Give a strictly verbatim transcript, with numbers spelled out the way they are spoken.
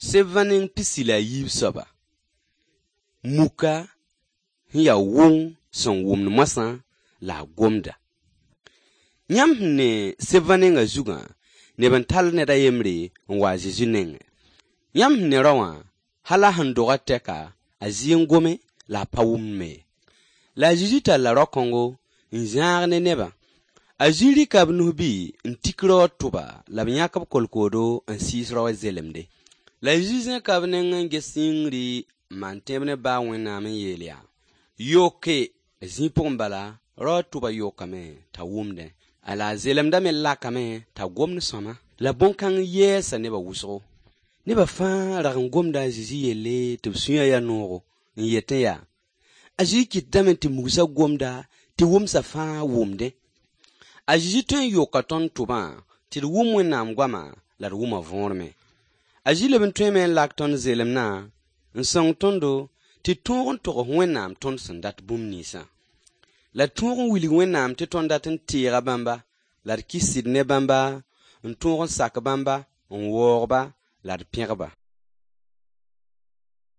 Sebã neng pisi la a yiib soaba. Muka sẽn yaa wʋng sẽn wʋmd moasã la a gomda. Yãmb sẽn ne sebã nenga zugã, neb n tall ned a yembre n wa a Zezi nengẽ. Yãmb sẽn ne rao wã, hal a sẽn doga tɛka, a zɩ n gome la a pa wʋmd ye. La a Zezi talla rao-kãngo n zãag ne nebã. A Zezi rɩka b nus-bi n tik raowã tʋba la b yãk b kolkoodo n sɩɩs rao wã zelemde. La a Zezi zẽka b neng n ges yĩngri n maan tẽeb ne baa Wẽnnaam n yeel yaa: Yoke! Zĩig pʋgẽ bala, raowã tʋba yokame t'a wʋmdẽ. La a zelemdã me lakame t'a gomd sõama. La bõn-kãng yɛɛsa nebã wʋsgo. Nebã fãa rag n gomda a Zezi yelle tɩ b sũyã yaa noogo n yetẽ yaa: A Zezi kɩtdame tɩ mugsã gomda tɩ wʋmsã fãa wʋmdẽ. A Zezi tõe n yoka tõnd tʋbã tɩ d wʋm Wẽnnaam goama la d wʋm a võor me. A Zezi leb n tõeme n lak tõnd zelemnã n sõng tõndo tɩ d tõog n togs Wẽnnaam tõnd sẽn dat bũmb ninsã. La d tõog n wilg Wẽnnaam tɩ tõnd dat n teega bãmba la d kɩs sɩd ne bãmba, n tõog n sak bãmba, n waoog-ba la d pẽg-ba.